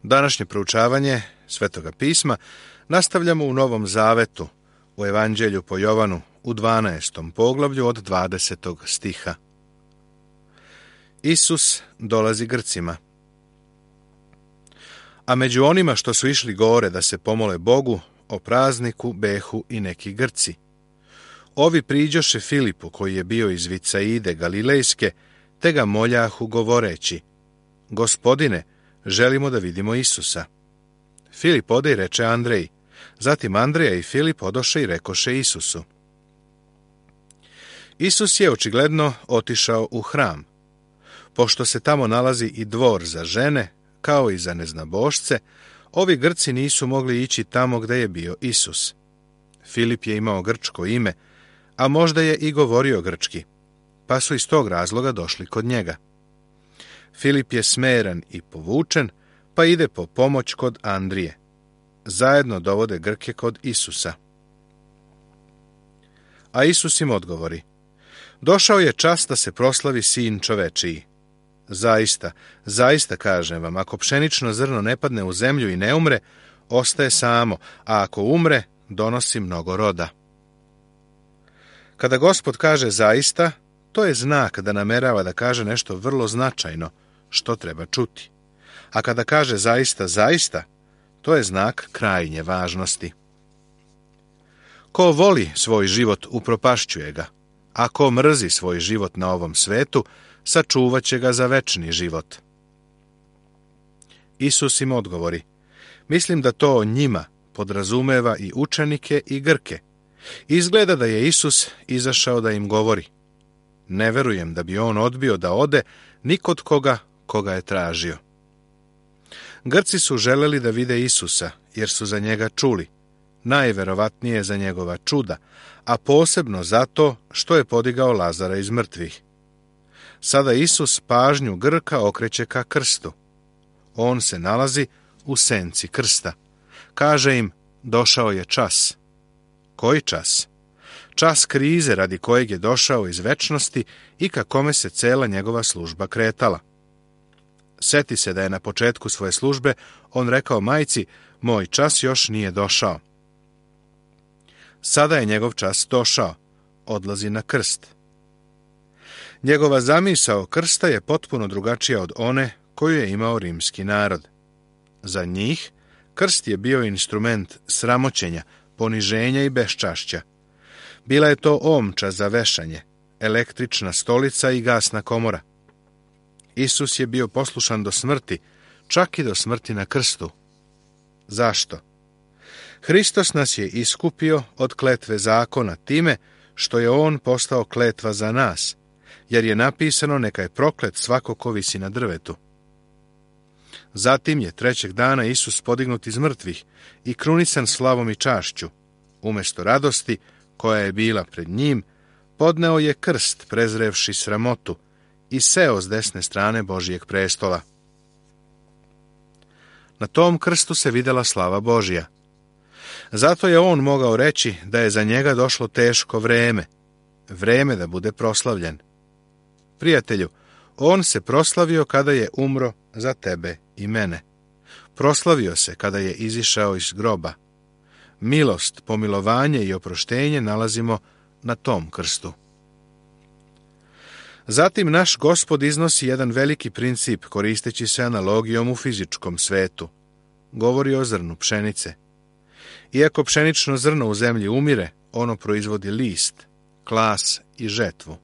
Današnje proučavanje Svetoga pisma nastavljamo u Novom Zavetu, u Evanđelju po Jovanu, u 12. poglavlju od 20. stiha. Isus dolazi Grcima. A među onima što su išli gore da se pomole Bogu, o prazniku behu i neki Grci. Ovi priđoše Filipu, koji je bio iz Vicaide Galilejske, te ga moljahu govoreći: Gospodine, želimo da vidimo Isusa. Filip ode i reče Andreji. Zatim Andreja i Filip odoše i rekoše Isusu. Isus je očigledno otišao u hram. Pošto se tamo nalazi i dvor za žene, kao i za neznabošce, ovi Grci nisu mogli ići tamo gde je bio Isus. Filip je imao grčko ime, a možda je i govorio grčki, pa su iz tog razloga došli kod njega. Filip je smeran i povučen, pa ide po pomoć kod Andrije. Zajedno dovode Grke kod Isusa. A Isus im odgovori: Došao je čas da se proslavi Sin čovečiji. Zaista, zaista kažem vam, ako pšenično zrno ne padne u zemlju i ne umre, ostaje samo, a ako umre, donosi mnogo roda. Kada Gospod kaže zaista, to je znak da namerava da kaže nešto vrlo značajno, što treba čuti. A kada kaže zaista, zaista, to je znak krajnje važnosti. Ko voli svoj život, upropašćuje ga, a ko mrzi svoj život na ovom svetu, sačuvat će ga za večni život. Isus im odgovori: Mislim da to njima podrazumeva i učenike i Grke. Izgleda da je Isus izašao da im govori. Ne verujem da bi on odbio da ode ni kod koga je tražio. Grci su želeli da vide Isusa, jer su za njega čuli, najverovatnije za njegova čuda, a posebno zato što je podigao Lazara iz mrtvih. Sada Isus pažnju Grka okreće ka krstu. On se nalazi u senci krsta. Kaže im: Došao je čas. Koji čas? Čas krize radi kojeg je došao iz večnosti i ka kome se cela njegova služba kretala. Seti se da je na početku svoje službe on rekao majci: Moj čas još nije došao. Sada je njegov čas došao. Odlazi na krst. Njegova zamisao krsta je potpuno drugačija od one koju je imao rimski narod. Za njih krst je bio instrument sramoćenja, poniženja i beščašća. Bila je to omča za vešanje, električna stolica i gasna komora. Isus je bio poslušan do smrti, čak i do smrti na krstu. Zašto? Hristos nas je iskupio od kletve zakona time što je on postao kletva za nas, jer je napisano: Neka je proklet svako ko visi na drvetu. Zatim je trećeg dana Isus podignut iz mrtvih i krunisan slavom i čašću. Umesto radosti koja je bila pred njim, podneo je krst prezrevši sramotu i seo s desne strane Božijeg prestola. Na tom krstu se videla slava Božja. Zato je on mogao reći da je za njega došlo teško vreme, vreme da bude proslavljen. Prijatelju, on se proslavio kada je umro za tebe i mene. Proslavio se kada je izišao iz groba. Milost, pomilovanje i oproštenje nalazimo na tom krstu. Zatim naš Gospod iznosi jedan veliki princip koristeći se analogijom u fizičkom svetu. Govori o zrnu pšenice. Iako pšenično zrno u zemlji umire, ono proizvodi list, klas i žetvu.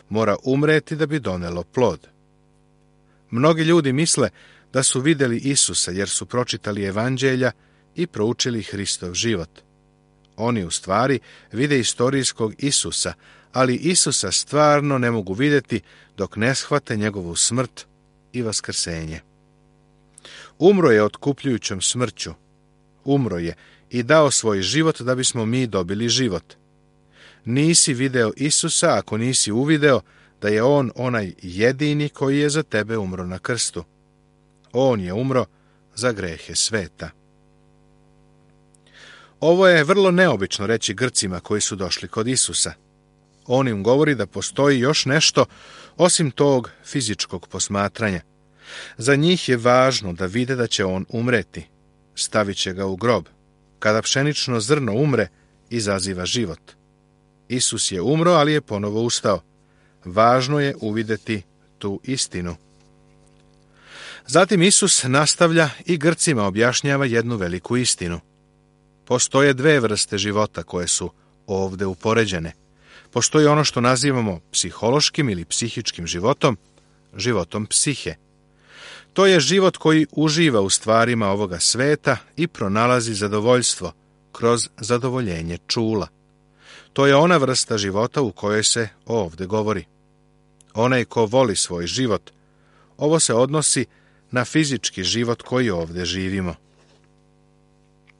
Mora umreti da bi donelo plod. Mnogi ljudi misle da su vidjeli Isusa jer su pročitali evanđelja i proučili Hristov život. Oni u stvari vide istorijskog Isusa, ali Isusa stvarno ne mogu vidjeti dok ne shvate njegovu smrt i vaskrsenje. Umro je otkupljujućom smrću. Umro je i dao svoj život da bismo mi dobili život. Nisi video Isusa ako nisi uvideo da je on onaj jedini koji je za tebe umro na krstu. On je umro za grehe sveta. Ovo je vrlo neobično reći Grcima koji su došli kod Isusa. On im govori da postoji još nešto osim tog fizičkog posmatranja. Za njih je važno da vide da će on umreti. Stavit će ga u grob. Kada pšenično zrno umre, izaziva život. Isus je umro, ali je ponovo ustao. Važno je uvideti tu istinu. Zatim Isus nastavlja i Grcima objašnjava jednu veliku istinu. Postoje dve vrste života koje su ovde upoređene. Postoji ono što nazivamo psihološkim ili psihičkim životom, životom psihe. To je život koji uživa u stvarima ovoga sveta i pronalazi zadovoljstvo kroz zadovoljenje čula. To je ona vrsta života u kojoj se ovde govori. Onaj ko voli svoj život, ovo se odnosi na fizički život koji ovde živimo.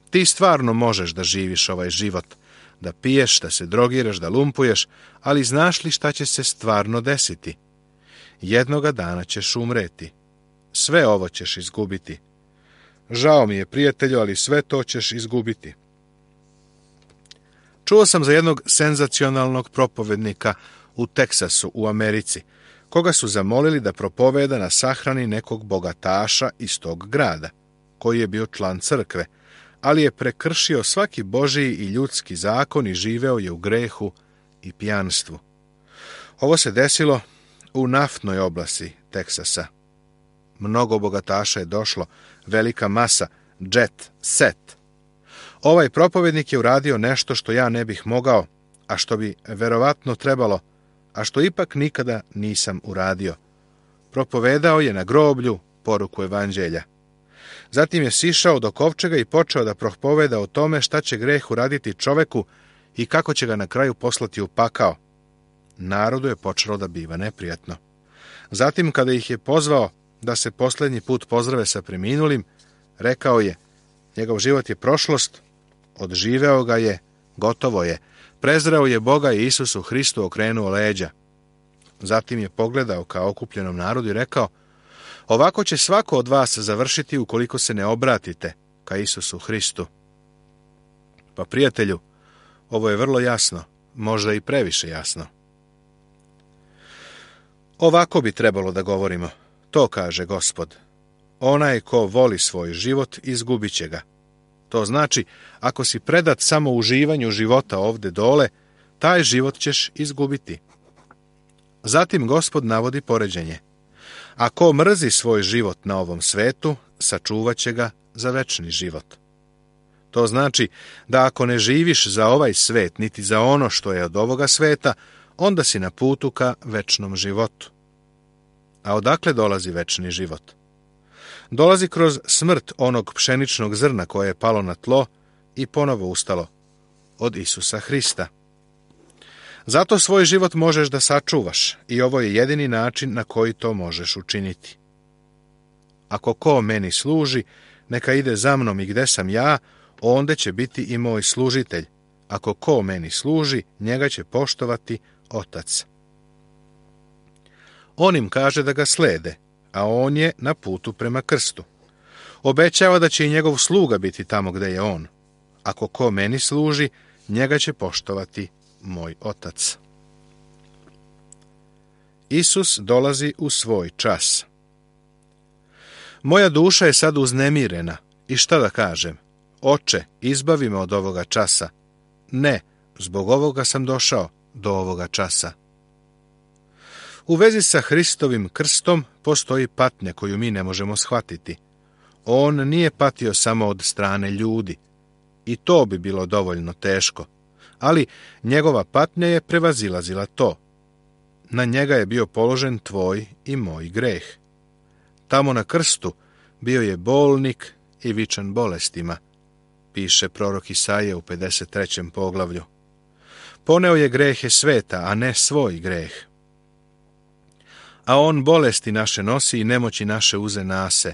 Ti stvarno možeš da živiš ovaj život, da piješ, da se drogiraš, da lumpuješ, ali znaš li šta će se stvarno desiti? Jednoga dana ćeš umreti. Sve ovo ćeš izgubiti. Žao mi je, prijatelju, ali sve to ćeš izgubiti. Čuo sam za jednog senzacionalnog propovednika u Teksasu, u Americi, koga su zamolili da propoveda na sahrani nekog bogataša iz tog grada, koji je bio član crkve, ali je prekršio svaki božji i ljudski zakon i živeo je u grehu i pijanstvu. Ovo se desilo u naftnoj oblasti Teksasa. Mnogo bogataša je došlo, velika masa, jet set. Ovaj propovednik je uradio nešto što ja ne bih mogao, a što bi verovatno trebalo, a što ipak nikada nisam uradio. Propovedao je na groblju poruku evanđelja. Zatim je sišao do kovčega i počeo da propoveda o tome šta će greh uraditi čoveku i kako će ga na kraju poslati u pakao. Narodu je počelo da biva neprijatno. Zatim, kada ih je pozvao da se posljednji put pozdrave sa preminulim, rekao je, njegov život je prošlost, odživeo ga je, gotovo je, prezreo je Boga i Isusu Hristu okrenuo leđa. Zatim je pogledao ka okupljenom narodu i rekao, ovako će svako od vas završiti ukoliko se ne obratite ka Isusu Hristu. Pa prijatelju, ovo je vrlo jasno, možda i previše jasno. Ovako bi trebalo da govorimo. To kaže Gospod. Onaj ko voli svoj život, izgubit će ga. To znači, ako si predat samo uživanju života ovde dole, taj život ćeš izgubiti. Zatim Gospod navodi poređenje. Ako mrzi svoj život na ovom svetu, sačuvat će ga za večni život. To znači da ako ne živiš za ovaj svet, niti za ono što je od ovoga sveta, onda si na putu ka večnom životu. A odakle dolazi večni život? Dolazi kroz smrt onog pšeničnog zrna koje je palo na tlo i ponovo ustalo, od Isusa Hrista. Zato svoj život možeš da sačuvaš i ovo je jedini način na koji to možeš učiniti. Ako ko meni služi, neka ide za mnom i gde sam ja, onda će biti i moj služitelj. Ako ko meni služi, njega će poštovati Otac. On im kaže da ga slede, a on je na putu prema krstu. Obećava da će i njegov sluga biti tamo gde je on. Ako ko meni služi, njega će poštovati moj Otac. Isus dolazi u svoj čas. Moja duša je sad uznemirena. I šta da kažem? Oče, izbavi me od ovoga časa. Ne, zbog ovoga sam došao do ovoga časa. U vezi sa Hristovim krstom postoji patnja koju mi ne možemo shvatiti. On nije patio samo od strane ljudi. I to bi bilo dovoljno teško. Ali njegova patnja je prevazilazila to. Na njega je bio položen tvoj i moj greh. Tamo na krstu bio je bolnik i vičan bolestima, piše prorok Isaija u 53. poglavlju. Poneo je grehe sveta, a ne svoj greh. A on bolesti naše nosi i nemoći naše uze nase.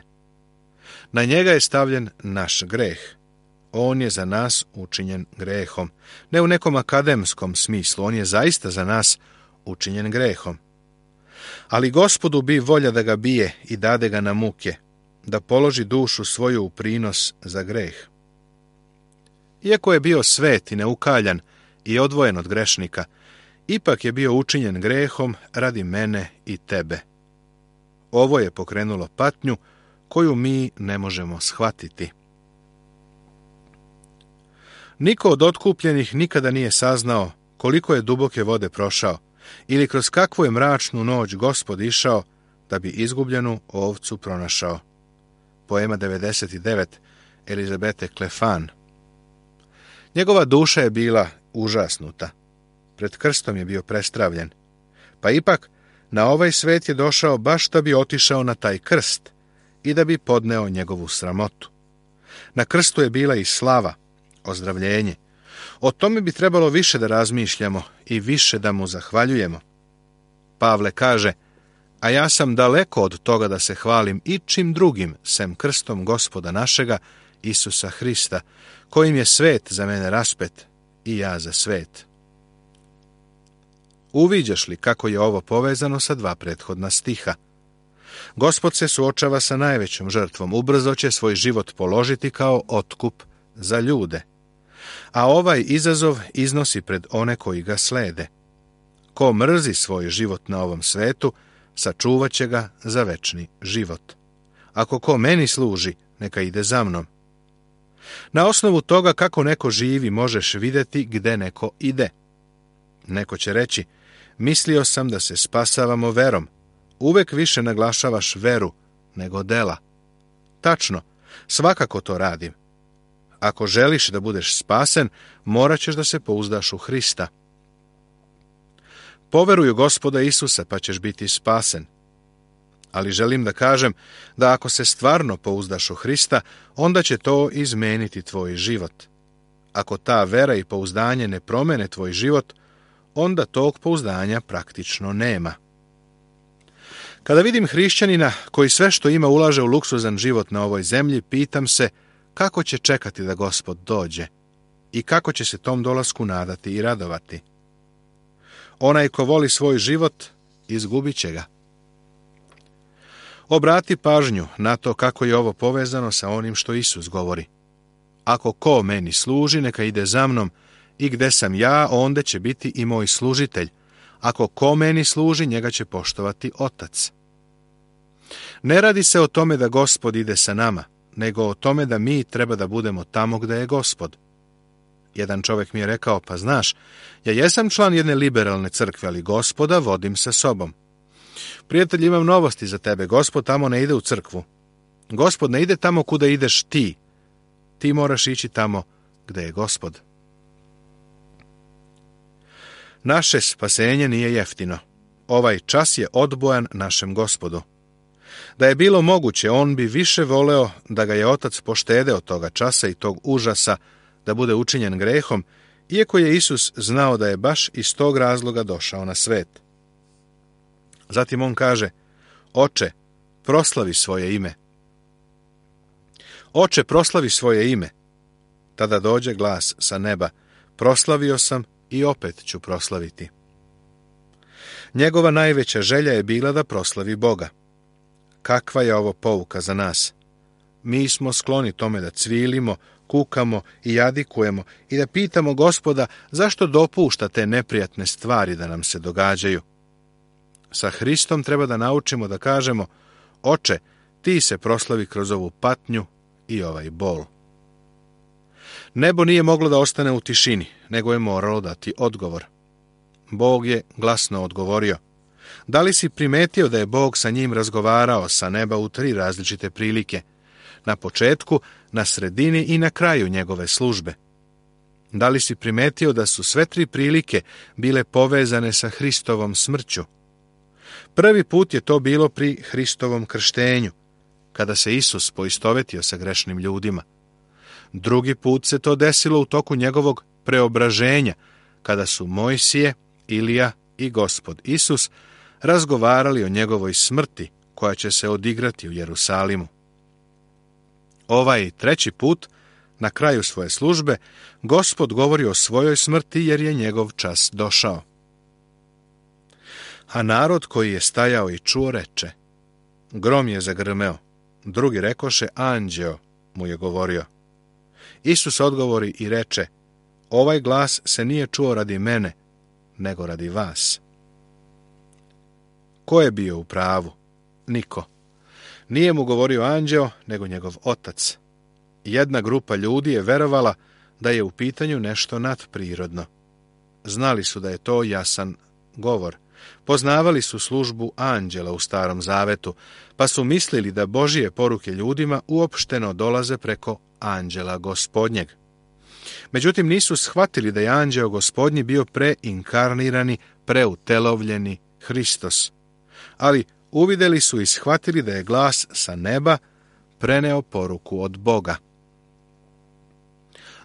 Na njega je stavljen naš greh. On je za nas učinjen grehom. Ne u nekom akademskom smislu, on je zaista za nas učinjen grehom. Ali Gospodu bi volja da ga bije i dade ga na muke, da položi dušu svoju u prinos za greh. Iako je bio svet i neukaljan i odvojen od grešnika, ipak je bio učinjen grehom radi mene i tebe. Ovo je pokrenulo patnju koju mi ne možemo shvatiti. Niko od otkupljenih nikada nije saznao koliko je duboke vode prošao ili kroz kakvu je mračnu noć Gospod išao da bi izgubljenu ovcu pronašao. Poema 99 Elizabete Klefan. Njegova duša je bila užasnuta. Pred krstom je bio prestravljen. Pa ipak, na ovaj svet je došao baš da bi otišao na taj krst i da bi podneo njegovu sramotu. Na krstu je bila i slava, ozdravljenje. O tome bi trebalo više da razmišljamo i više da mu zahvaljujemo. Pavle kaže, a ja sam daleko od toga da se hvalim ičim drugim, sem krstom Gospoda našega, Isusa Hrista, kojim je svet za mene raspet i ja za svet. Uviđaš li kako je ovo povezano sa dva prethodna stiha? Gospod se suočava sa najvećom žrtvom, ubrzo će svoj život položiti kao otkup za ljude. A ovaj izazov iznosi pred one koji ga slede. Ko mrzi svoj život na ovom svetu, sačuvat će ga za večni život. Ako ko meni služi, neka ide za mnom. Na osnovu toga kako neko živi možeš vidjeti gde neko ide. Neko će reći, mislio sam da se spasavamo verom. Uvek više naglašavaš veru nego dela. Tačno, svakako to radim. Ako želiš da budeš spasen, morat ćeš da se pouzdaš u Hrista. Poveruj u Gospoda Isusa, pa ćeš biti spasen. Ali želim da kažem da ako se stvarno pouzdaš u Hrista, onda će to izmeniti tvoj život. Ako ta vera i pouzdanje ne promene tvoj život, onda tog pouzdanja praktično nema. Kada vidim hrišćanina koji sve što ima ulaže u luksuzan život na ovoj zemlji, pitam se kako će čekati da Gospod dođe i kako će se tom dolasku nadati i radovati. Onaj ko voli svoj život, izgubit će ga. Obrati pažnju na to kako je ovo povezano sa onim što Isus govori. Ako ko meni služi, neka ide za mnom, i gde sam ja, onda će biti i moj služitelj. Ako ko meni služi, njega će poštovati Otac. Ne radi se o tome da Gospod ide sa nama, nego o tome da mi treba da budemo tamo gde je Gospod. Jedan čovjek mi je rekao, pa znaš, ja jesam član jedne liberalne crkve, ali Gospoda vodim sa sobom. Prijatelj, imam novosti za tebe, Gospod tamo ne ide u crkvu. Gospod ne ide tamo kuda ideš ti. Ti moraš ići tamo gde je Gospod. Naše spasenje nije jeftino. Ovaj čas je odbojan našem Gospodu. Da je bilo moguće, on bi više voleo da ga je Otac poštede od toga časa i tog užasa da bude učinjen grehom, iako je Isus znao da je baš iz tog razloga došao na svet. Zatim on kaže, Oče, proslavi svoje ime. Oče, proslavi svoje ime. Tada dođe glas sa neba, proslavio sam i opet ću proslaviti. Njegova najveća želja je bila da proslavi Boga. Kakva je ovo pouka za nas? Mi smo skloni tome da cvilimo, kukamo i jadikujemo i da pitamo Gospoda zašto dopušta te neprijatne stvari da nam se događaju. Sa Hristom treba da naučimo da kažemo, Oče, ti se proslavi kroz ovu patnju i ovaj bol. Nebo nije moglo da ostane u tišini, nego je moralo dati odgovor. Bog je glasno odgovorio. Da li si primetio da je Bog sa njim razgovarao sa neba u 3 različite prilike? Na početku, na sredini i na kraju njegove službe. Da li si primetio da su sve 3 prilike bile povezane sa Hristovom smrću? Prvi put je to bilo pri Hristovom krštenju, kada se Isus poistovetio sa grešnim ljudima. Drugi put se to desilo u toku njegovog preobraženja, kada su Mojsije, Ilija i Gospod Isus razgovarali o njegovoj smrti koja će se odigrati u Jerusalimu. Ovaj 3. put, na kraju svoje službe, Gospod govori o svojoj smrti jer je njegov čas došao. A narod koji je stajao i čuo reče, grom je zagrmeo, drugi rekoše, anđeo mu je govorio. Isus odgovori i reče, ovaj glas se nije čuo radi mene, nego radi vas. Ko je bio u pravu? niko. Nije mu govorio anđeo, nego njegov otac. Jedna grupa ljudi je verovala da je u pitanju nešto nadprirodno. Znali su da je to jasan govor. Poznavali su službu anđela u Starom Zavetu, pa su mislili da Božije poruke ljudima uopšteno dolaze preko anđela Gospodnjeg. Međutim, nisu shvatili da je anđeo Gospodnji bio preinkarnirani, preutelovljeni Hristos. Ali uvideli su i shvatili da je glas sa neba preneo poruku od Boga.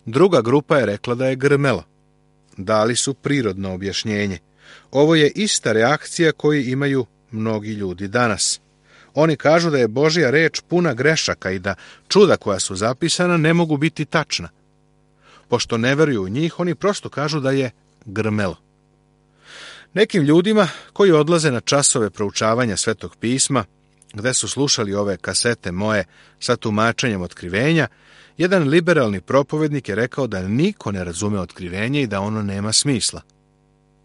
Druga grupa je rekla da je grmelo. Dali su prirodno objašnjenje. Ovo je ista reakcija koju imaju mnogi ljudi danas. Oni kažu da je Božja reč puna grešaka i da čuda koja su zapisana ne mogu biti tačna. Pošto ne veruju u njih, oni prosto kažu da je grmelo. Nekim ljudima koji odlaze na časove proučavanja Svetog pisma, gde su slušali ove kasete moje sa tumačenjem otkrivenja, jedan liberalni propovednik je rekao da niko ne razume otkrivenje i da ono nema smisla.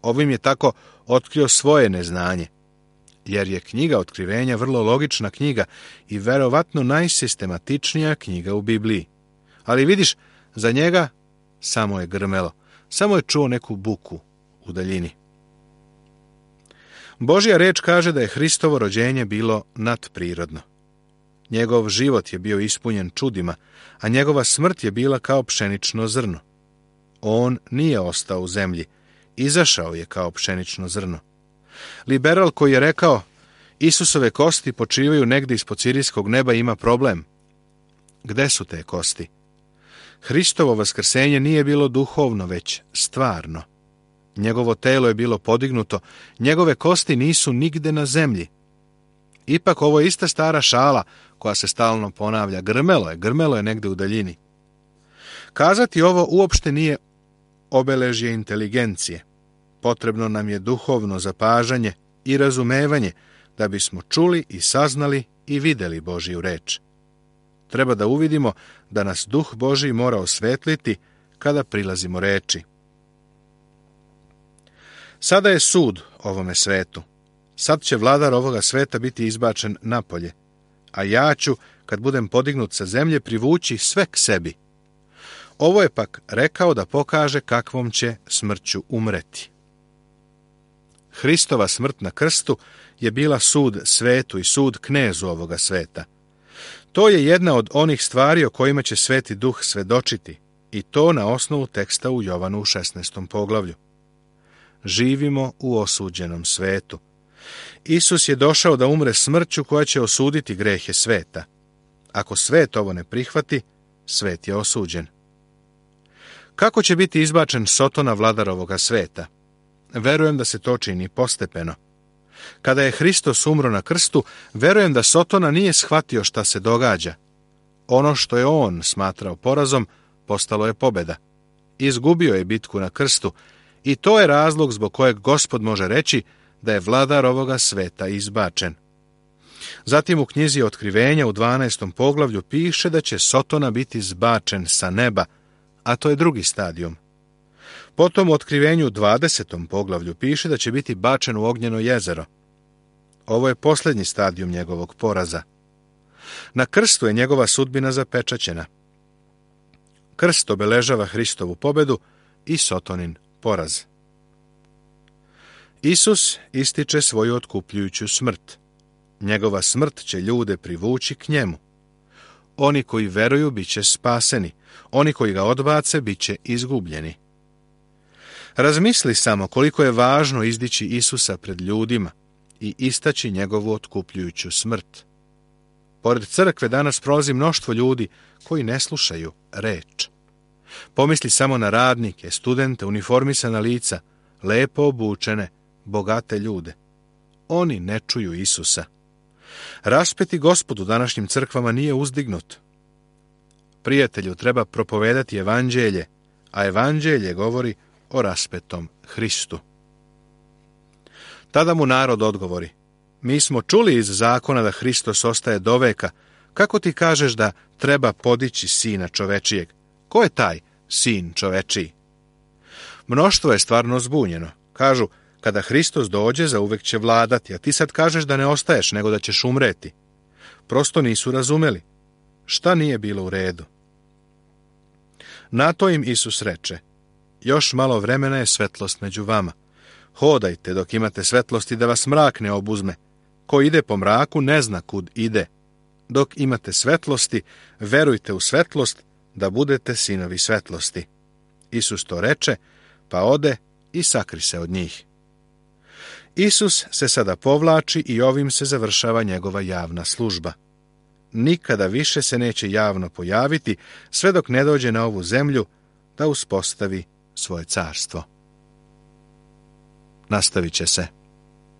Ovim je tako otkrio svoje neznanje, jer je knjiga otkrivenja vrlo logična knjiga i verovatno najsistematičnija knjiga u Bibliji. Ali vidiš, za njega samo je grmelo, samo je čuo neku buku u daljini. Božja reč kaže da je Hristovo rođenje bilo nadprirodno. Njegov život je bio ispunjen čudima, a njegova smrt je bila kao pšenično zrno. On nije ostao u zemlji, izašao je kao pšenično zrno. Liberal koji je rekao Isusove kosti počivaju negdje ispod sirijskog neba ima problem. Gde su te kosti? Hristovo vaskrsenje nije bilo duhovno, već stvarno. Njegovo telo je bilo podignuto, njegove kosti nisu nigde na zemlji. Ipak ovo je ista stara šala koja se stalno ponavlja. Grmelo je negde u daljini. Kazati ovo uopšte nije obeležje inteligencije. Potrebno nam je duhovno zapažanje i razumevanje da bismo čuli i saznali i videli Božju reč. Treba da uvidimo da nas Duh Božji mora osvetliti kada prilazimo reči. Sada je sud ovome svetu. Sad će vladar ovoga sveta biti izbačen napolje, a ja ću, kad budem podignut sa zemlje, privući sve k sebi. Ovo je pak rekao da pokaže kakvom će smrću umreti. Hristova smrt na krstu je bila sud svetu i sud knezu ovoga sveta. To je jedna od onih stvari o kojima će Sveti Duh svedočiti, i to na osnovu teksta u Jovanu u 16. poglavlju. Živimo u osuđenom svetu. Isus je došao da umre smrću koja će osuditi grehe sveta. Ako svet ovo ne prihvati, svet je osuđen. Kako će biti izbačen Sotona, vladar ovoga sveta? Verujem da se to čini postepeno. Kada je Hristos umro na krstu, verujem da Sotona nije shvatio šta se događa. Ono što je on smatrao porazom, postalo je pobeda. Izgubio je bitku na krstu i to je razlog zbog kojeg Gospod može reći da je vladar ovoga sveta izbačen. Zatim u knjizi Otkrivenja u 12. poglavlju piše da će Sotona biti zbačen sa neba, a to je drugi stadijum. Potom u Otkrivenju u 20. poglavlju piše da će biti bačen u ognjeno jezero. Ovo je posljednji stadijum njegovog poraza. Na krstu je njegova sudbina zapečaćena. Krst obeležava Hristovu pobedu i Sotonin poraz. Isus ističe svoju otkupljujuću smrt. Njegova smrt će ljude privući k njemu. Oni koji veruju bit će spaseni, oni koji ga odbace bit će izgubljeni. Razmisli samo koliko je važno izdići Isusa pred ljudima i istaći njegovu otkupljujuću smrt. Pored crkve danas prolazi mnoštvo ljudi koji ne slušaju reč. Pomisli samo na radnike, studente, uniformisana lica, lepo obučene, bogate ljude. Oni ne čuju Isusa. Raspeti Gospod u današnjim crkvama nije uzdignut. Prijatelju, treba propovedati evanđelje, a evanđelje govori o raspetom Hristu. Tada mu narod odgovori: mi smo čuli iz zakona da Hristos ostaje do veka. Kako ti kažeš da treba podići sina čovečijeg? Ko je taj sin čovečiji? Mnoštvo je stvarno zbunjeno. Kažu, Kada Hristos dođe, zauvek će vladati, a ti sad kažeš da ne ostaješ, nego da ćeš umreti. Prosto nisu razumeli. Šta nije bilo u redu? Na to im Isus reče: još malo vremena je svetlost među vama. Hodajte dok imate svetlosti, da vas mrak ne obuzme. Ko ide po mraku ne zna kud ide. Dok imate svetlosti, verujte u svetlost, da budete sinovi svetlosti. Isus to reče, pa ode i sakri se od njih. Isus se sada povlači i ovim se završava njegova javna služba. Nikada više se neće javno pojaviti, sve dok ne dođe na ovu zemlju da uspostavi svoje carstvo. Nastavit će se.